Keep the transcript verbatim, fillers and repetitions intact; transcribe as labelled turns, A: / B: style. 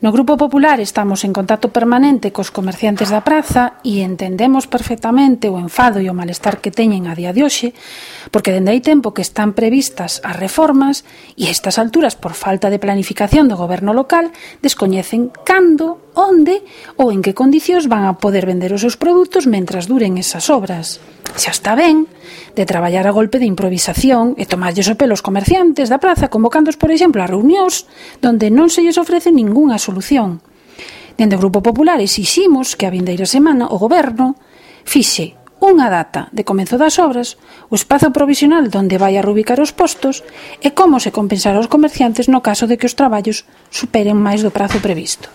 A: No Grupo Popular estamos en contacto permanente cos comerciantes da praza e entendemos perfectamente o enfado e o malestar que teñen a día de hoxe, porque dende hai tempo que están previstas as reformas e a estas alturas, por falta de planificación do goberno local, descoñecen cando, onde ou en que condicións van a poder vender os seus produtos mentras duren esas obras. Xa está ben de traballar a golpe de improvisación e tomarlles o pelo aos comerciantes da praza convocándoos, por exemplo, a reunións donde non se lles ofrece ningunha solución. Dende o Grupo Popular exiximos que a vindeira semana o Goberno fixe unha data de comenzo das obras, o espazo provisional donde vai a reubicar os postos e como se compensará aos comerciantes no caso de que os traballos superen máis do prazo previsto.